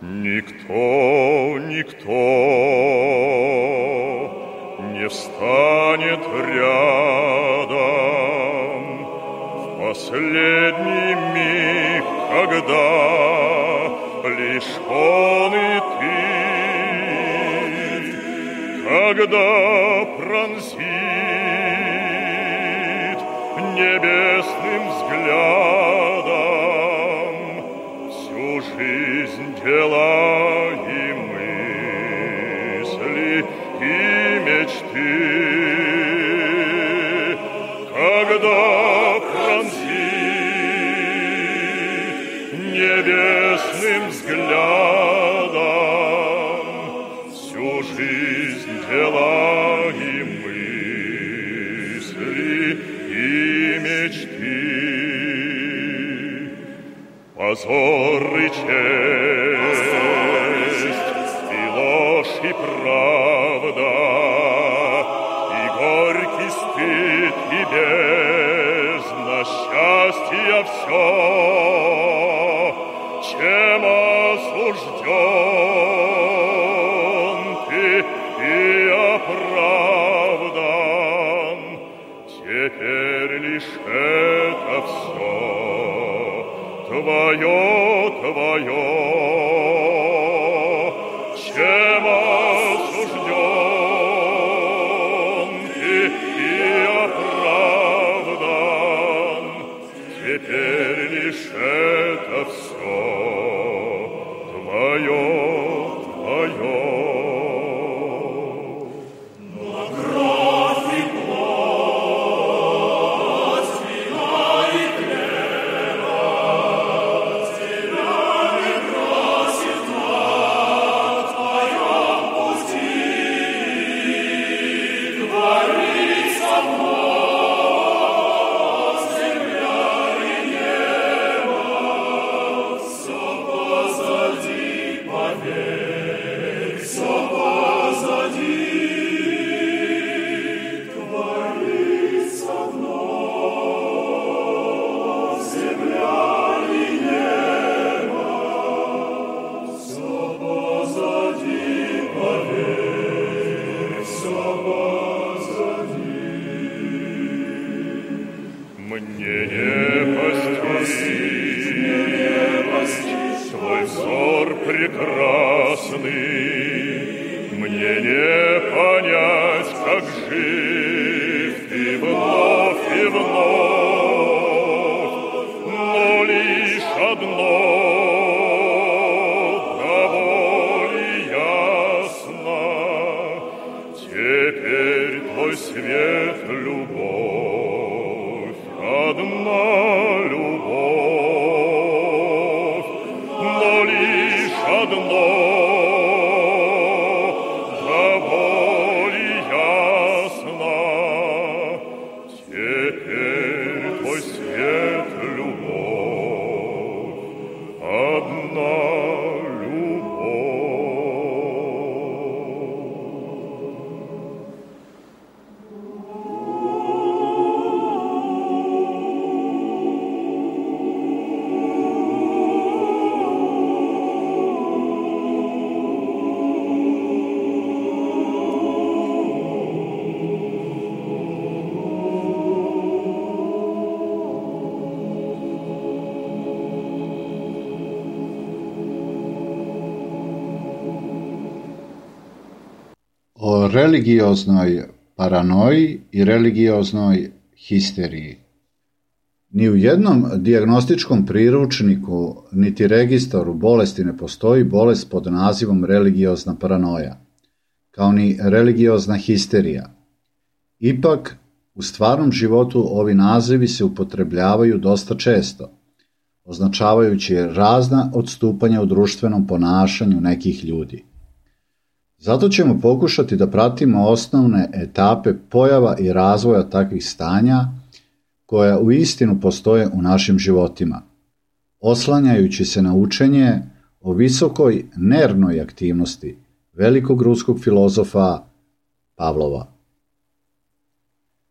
Никто не встанет рядом в последний миг, когда лишь он и ты, когда пронзит небесным взглядом всю жизнь дела и мысли и мечты, когда пронзит небесным взглядом всю жизнь дела и мысли и мечты. Позор и честь, и ложь, и правда, и горький стыд, и бездна счастья все, чем осужден ты и оправдан, теперь лишь это все твое, чем осужден ты и оправдан, теперь лишь это все твое. Мне не постичь твой взор прекрасный, мне не понять, как жив ты вновь и вновь, но лишь одно довольно ясно, теперь твой свет — любовь, одна любовь, но лишь одно довольно ясно, теперь твой свет — любовь, одна любовь. O religioznoj paranoji i religioznoj histeriji. Ni u jednom dijagnostičkom priručniku niti registaru bolesti ne postoji bolest pod nazivom religiozna paranoja, kao ni religiozna histerija. Ipak, u stvarnom životu ovi nazivi se upotrebljavaju dosta često, označavajući razna odstupanja u društvenom ponašanju nekih ljudi. Zato ćemo pokušati da pratimo osnovne etape pojava i razvoja takvih stanja koja uistinu postoje u našim životima. oslanjajući se na učenje o visokoj nervnoj aktivnosti velikog ruskog filozofa Pavlova.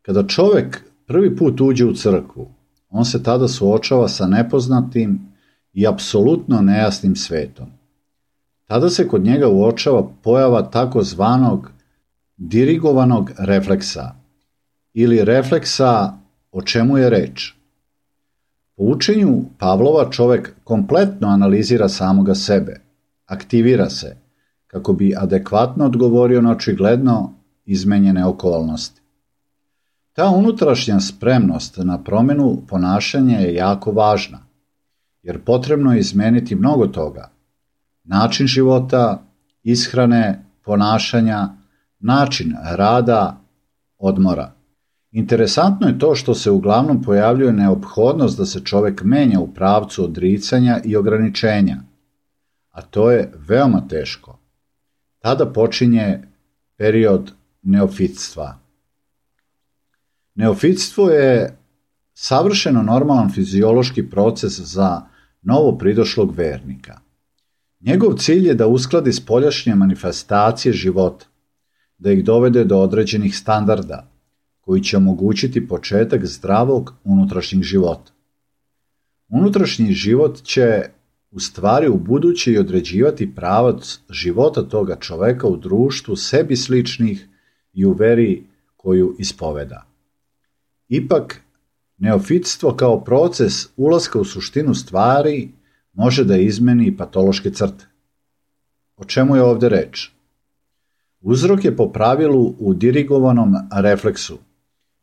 Kada čovjek prvi put uđe u crkvu, on se tada suočava sa nepoznatim i apsolutno nejasnim svetom. Tada se kod njega uočava pojava takozvanog dirigovanog refleksa ili refleksa o čemu je reč. Po učenju Pavlova čovjek kompletno analizira samoga sebe, aktivira se kako bi adekvatno odgovorio na očigledno izmenjene okolnosti. Ta unutrašnja spremnost na promjenu ponašanja je jako važna, jer potrebno je izmeniti mnogo toga. Način života, ishrane, ponašanja, način rada, odmora. Interesantno je to što se uglavnom pojavljuje neophodnost da se čovjek menja u pravcu odricanja i ograničenja, a to je veoma teško. Tada počinje period neofitstva. Neofitstvo je savršeno normalan fiziološki proces za novo pridošlog vernika. Njegov cilj je da uskladi spoljašnje manifestacije života, da ih dovede do određenih standarda, koji će omogućiti početak zdravog unutrašnjeg života. Unutrašnji život će u stvari u buduće i određivati pravac života toga čoveka u društvu sebi sličnih i u veri koju ispoveda. Ipak, neofitstvo kao proces ulaska u suštinu stvari može da izmeni patološke crte. O čemu je ovdje reč? Uzrok je po pravilu u dirigovanom refleksu,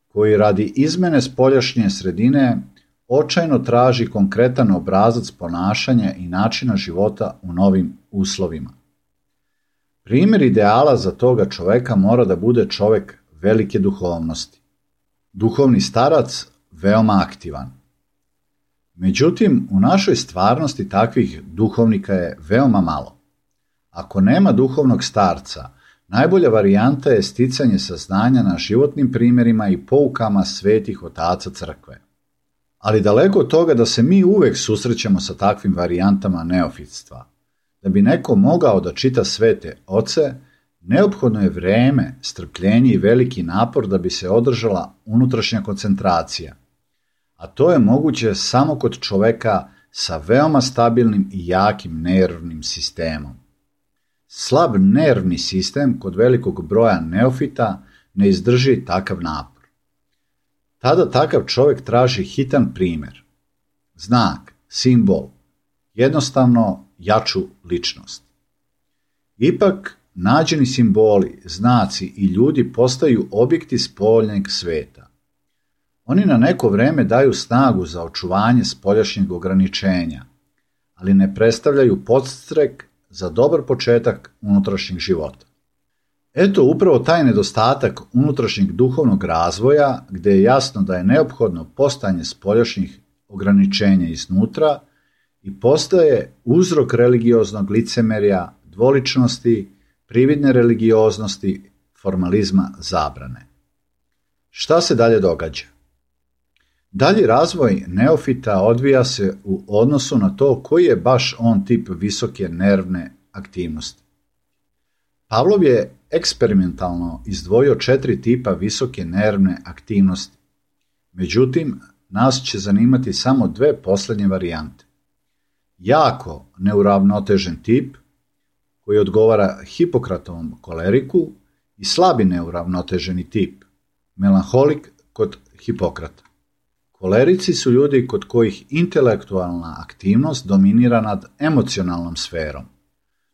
koji radi izmene spoljašnje sredine očajno traži konkretan obrazac ponašanja i načina života u novim uslovima. Primjer ideala za toga čoveka mora da bude čovek velike duhovnosti. Duhovni starac veoma aktivan. Međutim, u našoj stvarnosti takvih duhovnika je veoma malo. Ako nema duhovnog starca, najbolja varijanta je sticanje saznanja na životnim primjerima i poukama svetih otaca crkve. Ali daleko od toga da se mi uvek susrećemo sa takvim varijantama neofitstva. Da bi neko mogao da čita svete oce, neophodno je vreme, strpljenje i veliki napor da bi se održala unutrašnja koncentracija. A to je moguće samo kod čoveka sa veoma stabilnim i jakim nervnim sistemom. Slab nervni sistem kod velikog broja neofita ne izdrži takav napor. Tada takav čovjek traži hitan primjer, znak, simbol, jednostavno jaču ličnost. Ipak, nađeni simboli, znaci i ljudi postaju objekti spoljnjeg sveta. Oni na neko vreme daju snagu za očuvanje spoljašnjeg ograničenja, ali ne predstavljaju podstrek za dobar početak unutrašnjeg života. Eto upravo taj nedostatak unutrašnjeg duhovnog razvoja, gdje je jasno da je neophodno postojanje spoljašnjih ograničenja iznutra i postaje uzrok religioznog licemerja, dvoličnosti, prividne religioznosti, formalizma, zabrane. Šta se dalje događa? Dalji razvoj neofita odvija se u odnosu na to koji je baš on tip visoke nervne aktivnosti. Pavlov je eksperimentalno izdvojio 4 tipa visoke nervne aktivnosti. Međutim, nas će zanimati samo 2 posljednje varijante. Jako neuravnotežen tip, koji odgovara Hipokratovom koleriku, i slabi neuravnoteženi tip, melanholik kod Hipokrata. Kolerici su ljudi kod kojih intelektualna aktivnost dominira nad emocionalnom sferom.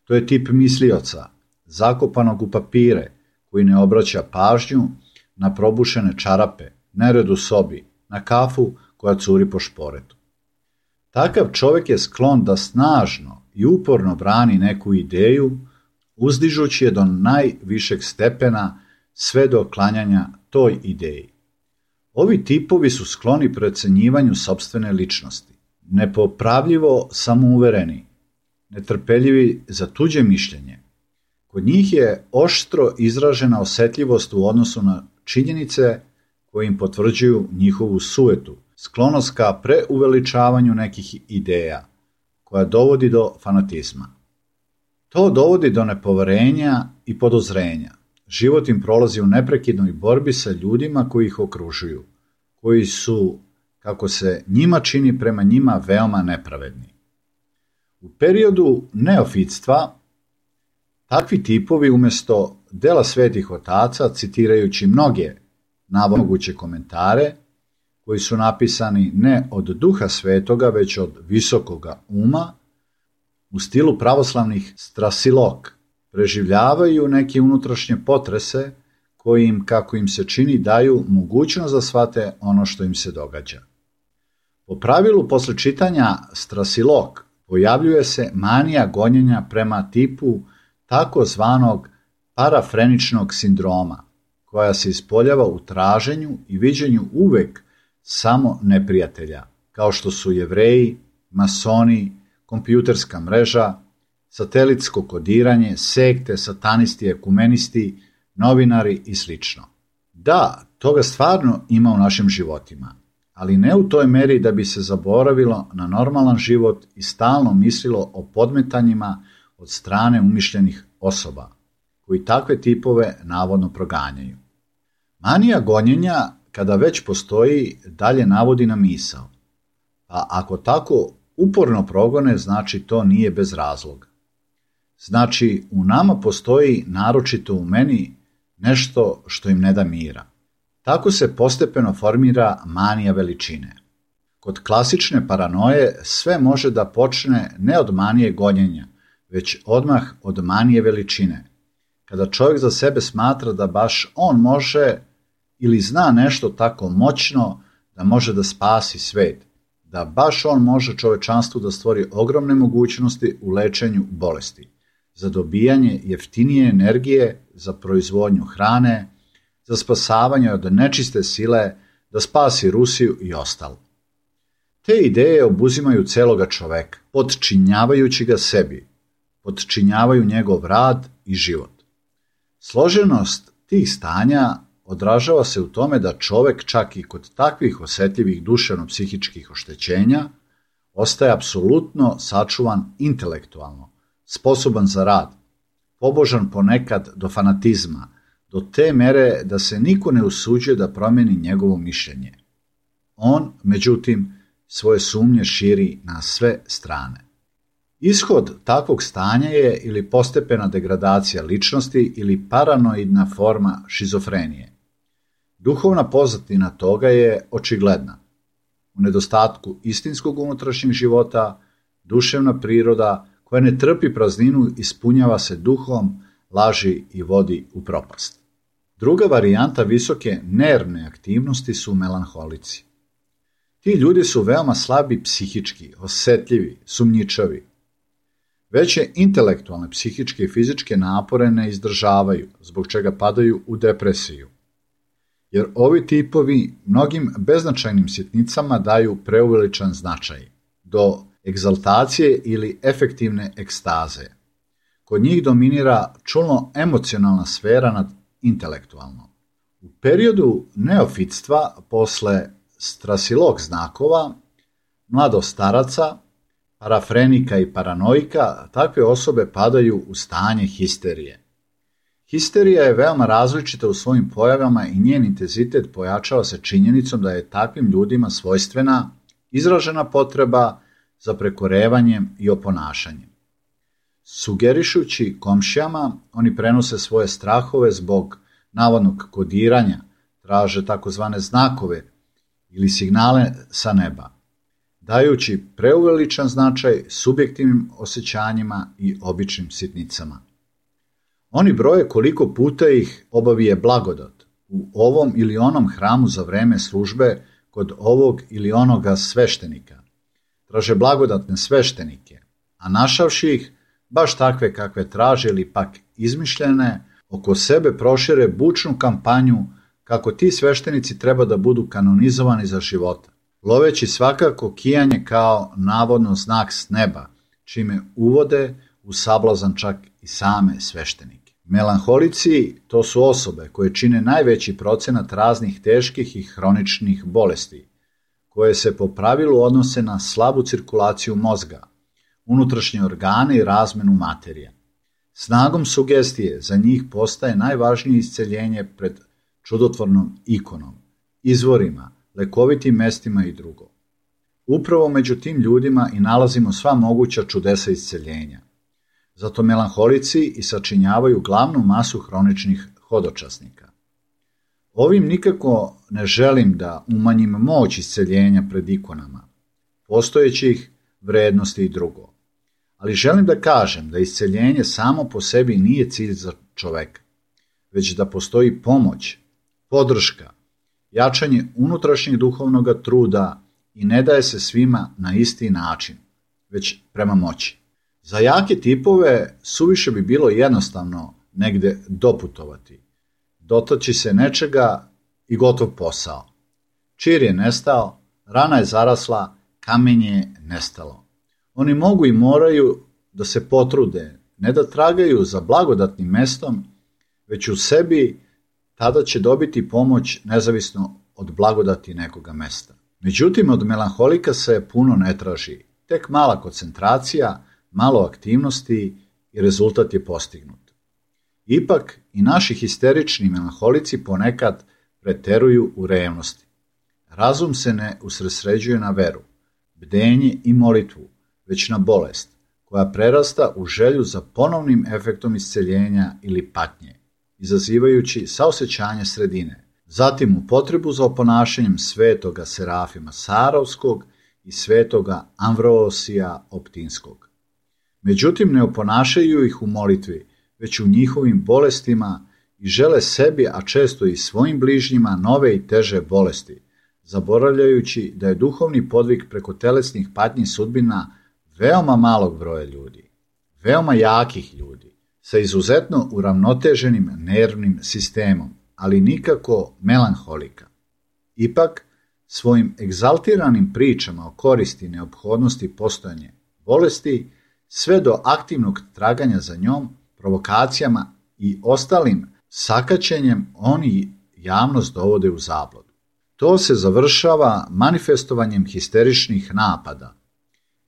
To je tip mislioca, zakopanog u papire, koji ne obraća pažnju na probušene čarape, nered u sobi, na kafu koja curi po šporetu. Takav čovjek je sklon da snažno i uporno brani neku ideju, uzdižući je do najvišeg stepena sve do klanjanja toj ideji. Ovi tipovi su skloni precenjivanju sopstvene ličnosti, nepopravljivo samouvereni, netrpeljivi za tuđe mišljenje. Kod njih je oštro izražena osjetljivost u odnosu na činjenice koje im potvrđuju njihovu sujetu, sklonost ka preuveličavanju nekih ideja, koja dovodi do fanatizma. To dovodi do nepoverenja i podozrenja. Život im prolazi u neprekidnoj borbi sa ljudima koji ih okružuju, koji su, kako se njima čini, prema njima veoma nepravedni. U periodu neofitstva takvi tipovi umjesto dela svetih otaca, citirajući mnoge moguće komentare, koji su napisani ne od duha svetoga, već od visokoga uma, u stilu pravoslavnih strasilog, preživljavaju neke unutrašnje potrese koji im, kako im se čini, daju mogućnost da shvate ono što im se događa. Po pravilu, posle čitanja strasilog, pojavljuje se manija gonjenja prema tipu takozvanog parafreničnog sindroma, koja se ispoljava u traženju i viđenju uvek samo neprijatelja, kao što su Jevreji, masoni, kompjuterska mreža, satelitsko kodiranje, sekte, satanisti, ekumenisti, novinari i sl. Da, toga stvarno ima u našim životima, ali ne u toj meri da bi se zaboravilo na normalan život i stalno mislilo o podmetanjima od strane umišljenih osoba, koji takve tipove navodno proganjaju. Manija gonjenja, kada već postoji, dalje navodi na misao. Pa ako tako uporno progone, znači to nije bez razloga. Znači, u nama postoji, naročito u meni, nešto što im ne da mira. Tako se postepeno formira manija veličine. Kod klasične paranoje sve može da počne ne od manije gonjenja, već odmah od manije veličine. Kada čovjek za sebe smatra da baš on može ili zna nešto tako moćno da može da spasi svet, da baš on može čovečanstvu da stvori ogromne mogućnosti u lečenju bolesti, za dobijanje jeftinije energije, za proizvodnju hrane, za spasavanje od nečiste sile, da spasi Rusiju i ostalo. Te ideje obuzimaju celoga čoveka, podčinjavajući ga sebi, podčinjavaju njegov rad i život. Složenost tih stanja odražava se u tome da čovek čak i kod takvih osetljivih duševno-psihičkih oštećenja ostaje apsolutno sačuvan intelektualno, sposoban za rad, pobožan ponekad do fanatizma, do te mere da se niko ne usuđuje da promeni njegovo mišljenje. On, međutim, svoje sumnje širi na sve strane. Ishod takvog stanja je ili postepena degradacija ličnosti ili paranoidna forma šizofrenije. Duhovna pozadina toga je očigledna. U nedostatku istinskog unutrašnjeg života, duševna priroda koja ne trpi prazninu ispunjava se duhom, laži i vodi u propast. Druga varijanta visoke nervne aktivnosti su melanholici. Ti ljudi su veoma slabi psihički, osetljivi, sumnjičavi. Veće intelektualne, psihičke i fizičke napore ne izdržavaju, zbog čega padaju u depresiju. Jer ovi tipovi mnogim beznačajnim sitnicama daju preuveličan značaj, do egzaltacije ili efektivne ekstaze. Kod njih dominira čulno-emocionalna sfera nad intelektualnom. U periodu neofitstva, posle strasilog znakova, mladostaraca, parafrenika i paranoika, takve osobe padaju u stanje histerije. Histerija je veoma različita u svojim pojavama i njen intenzitet pojačava se činjenicom da je takvim ljudima svojstvena izražena potreba za prekorevanjem i oponašanjem. Sugerišući komšijama, oni prenose svoje strahove zbog navodnog kodiranja, traže takozvane znakove ili signale sa neba, dajući preuveličan značaj subjektivnim osjećanjima i običnim sitnicama. Oni broje koliko puta ih obavije blagodat u ovom ili onom hramu za vreme službe kod ovog ili onoga sveštenika. Traže blagodatne sveštenike, a našavši ih, baš takve kakve traže ili pak izmišljene, oko sebe prošire bučnu kampanju kako ti sveštenici treba da budu kanonizovani za života, loveći svakako kijanje kao navodno znak s neba, čime uvode u sablazan čak i same sveštenike. Melanholici to su osobe koje čine najveći procenat raznih teških i hroničnih bolesti, koje se po pravilu odnose na slabu cirkulaciju mozga, unutrašnje organe i razmenu materije. Snagom sugestije za njih postaje najvažnije isceljenje pred čudotvornom ikonom, izvorima, lekovitim mestima i drugo. Upravo među tim ljudima i nalazimo sva moguća čudesa isceljenja. Zato melanholici i sačinjavaju glavnu masu hroničnih hodočasnika. Ovim nikako ne želim da umanjim moć isceljenja pred ikonama, postojećih vrednosti i drugo. Ali želim da kažem da isceljenje samo po sebi nije cilj za čoveka, već da postoji pomoć, podrška, jačanje unutrašnjeg duhovnog truda i ne daje se svima na isti način, već prema moći. Za jake tipove suviše bi bilo jednostavno negde doputovati, dotaći se nečega i gotov posao. Čir je nestao, rana je zarasla, kamenje je nestalo. Oni mogu i moraju da se potrude, ne da tragaju za blagodatnim mestom, već u sebi tada će dobiti pomoć nezavisno od blagodati nekoga mesta. Međutim, od melanholika se puno ne traži, tek mala koncentracija, malo aktivnosti i rezultat je postignut. Ipak i naši histerični melanholici ponekad preteruju u revnosti. Razum se ne usredsređuje na veru, bdenje i molitvu, već na bolest, koja prerasta u želju za ponovnim efektom isceljenja ili patnje, izazivajući saosećanje sredine, zatim u potrebu za oponašanjem svetoga Serafima Sarovskog i svetoga Amvrosija Optinskog. Međutim, ne oponašaju ih u molitvi, već u njihovim bolestima i žele sebi, a često i svojim bližnjima, nove i teže bolesti, zaboravljajući da je duhovni podvig preko telesnih patnji sudbina veoma malog broja ljudi, veoma jakih ljudi, sa izuzetno uravnoteženim nervnim sistemom, ali nikako melanholika. Ipak, svojim egzaltiranim pričama o koristi i neophodnosti postojanja bolesti, sve do aktivnog traganja za njom, provokacijama i ostalim sakaćenjem, oni javnost dovode u zabludu. To se završava manifestovanjem histeričnih napada,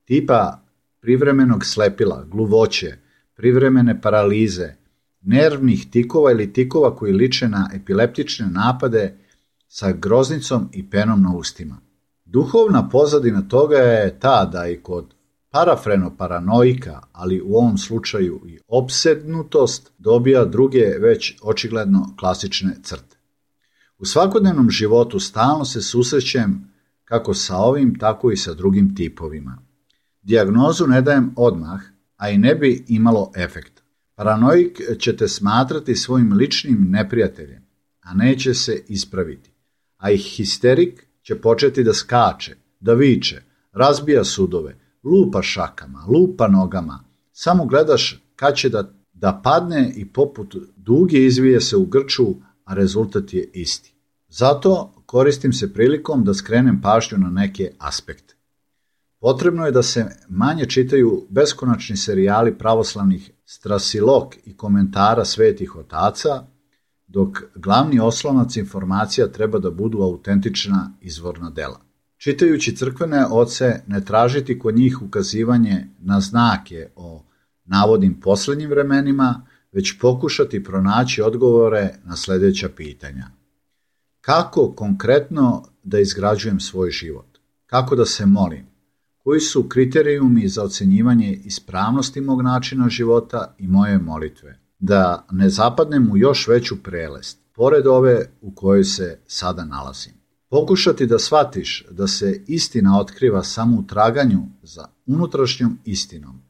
tipa privremenog slepila, gluvoće, privremene paralize, nervnih tikova ili tikova koji liče na epileptične napade sa groznicom i penom na ustima. Duhovna pozadina toga je ta da i kod parafrenoparanoika, ali u ovom slučaju i opsednutost, dobija druge već očigledno klasične crte. U svakodnevnom životu stalno se susrećem kako sa ovim, tako i sa drugim tipovima. Dijagnozu ne dajem odmah, a i ne bi imalo efekta. Paranoik će te smatrati svojim ličnim neprijateljem, a neće se ispraviti. A i histerik će početi da skače, da viče, razbija sudove, lupa šakama, lupa nogama. Samo gledaš kad će da padne i poput duge izvije se u grču, a rezultat je isti. Zato koristim se prilikom da skrenem pažnju na neke aspekte. Potrebno je da se manje čitaju beskonačni serijali pravoslavnih strasilog i komentara svetih otaca, dok glavni oslonac informacija treba da budu autentična izvorna dela. Čitajući crkvene oce, ne tražiti kod njih ukazivanje na znake o navodnim poslednjim vremenima, već pokušati pronaći odgovore na sledeća pitanja. Kako konkretno da izgrađujem svoj život? Kako da se molim? Koji su kriterijumi za ocenjivanje ispravnosti mog načina života i moje molitve? Da ne zapadnem u još veću prelest, pored ove u kojoj se sada nalazim. Pokušati da shvatiš da se istina otkriva samo u traganju za unutrašnjom istinom,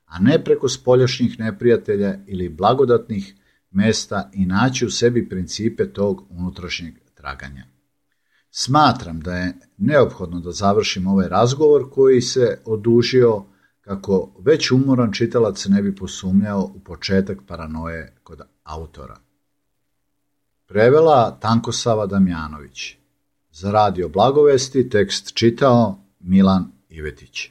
a ne preko spoljašnjih neprijatelja ili blagodatnih mesta i naći u sebi principe tog unutrašnjeg traganja. Smatram da je neophodno da završim ovaj razgovor koji se odužio kako već umoran čitalac ne bi posumnjao u početak paranoje kod autora. Prevela Tankosava Damjanović. Za Radio Blagovesti tekst čitao Milan Ivetić.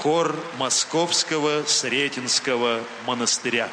хор Московского Сретенского монастыря.